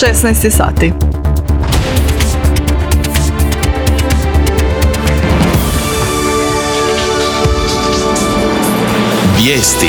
16 sati. Vijesti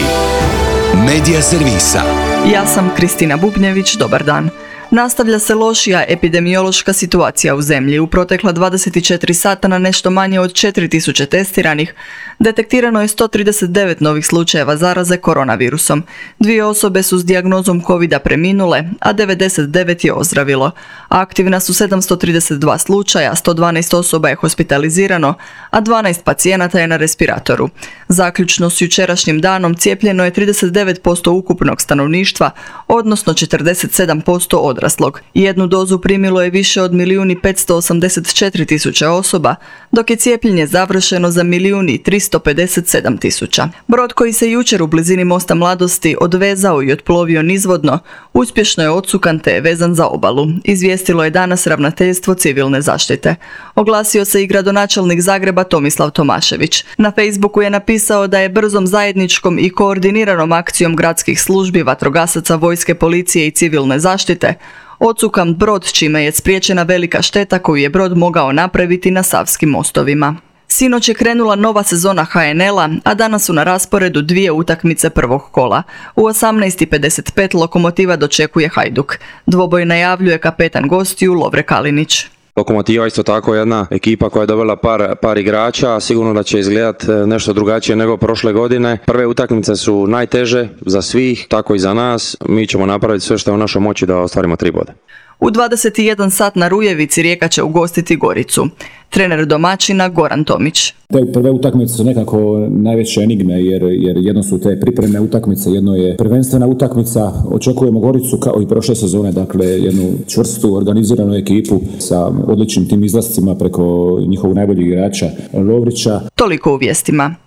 Medija servisa. Ja sam Kristina Bubnjević, dobar dan. Nastavlja se lošija epidemiološka situacija u zemlji. U protekla 24 sata na nešto manje od 4000 testiranih detektirano je 139 novih slučajeva zaraze koronavirusom. 2 osobe su s dijagnozom covida preminule, a 99 je ozdravilo. Aktivna su 732 slučaja, 112 osoba je hospitalizirano, a 12 pacijenata je na respiratoru. Zaključno s jučerašnjim danom cijepljeno je 39% ukupnog stanovništva, odnosno 47% odraslog. Jednu dozu primilo je više od 1.584.000 osoba, dok je cijepljenje završeno za 1.357.000. Brod koji se jučer u blizini Mosta Mladosti odvezao i otplovio nizvodno, uspješno je odsukan te je vezan za obalu, izvijestilo je danas Ravnateljstvo civilne zaštite. Oglasio se i gradonačelnik Zagreba Tomislav Tomašević. Na Facebooku je napisao da je brzom zajedničkom i koordiniranom akcijom gradskih službi, vatrogasaca, vojske, policije i civilne zaštite odsukan brod, čime je spriječena velika šteta koju je brod mogao napraviti na savskim mostovima. Sinoć je krenula nova sezona HNL-a, a danas su na rasporedu 2 utakmice prvog kola. U 18:55 Lokomotiva dočekuje Hajduk. Dvoboj najavljuje kapetan gostiju Lovre Kalinić. Lokomotiva isto tako jedna ekipa koja je dobila par igrača, sigurno da će izgledati nešto drugačije nego prošle godine. Prve utakmice su najteže za svih, tako i za nas. Mi ćemo napraviti sve što je u našoj moći da ostvarimo 3 boda. U 21 sat na Rujevici Rijeka će ugostiti Goricu. Trener domaćina Goran Tomić. Te prve utakmice su nekako najveće enigme jer jedno su te pripremne utakmice, jedno je prvenstvena utakmica. Očekujemo Goricu kao i prošle sezone, dakle jednu čvrstu organiziranu ekipu sa odličnim tim izlascima preko njihovog najboljeg igrača Lovrića. Toliko u vijestima.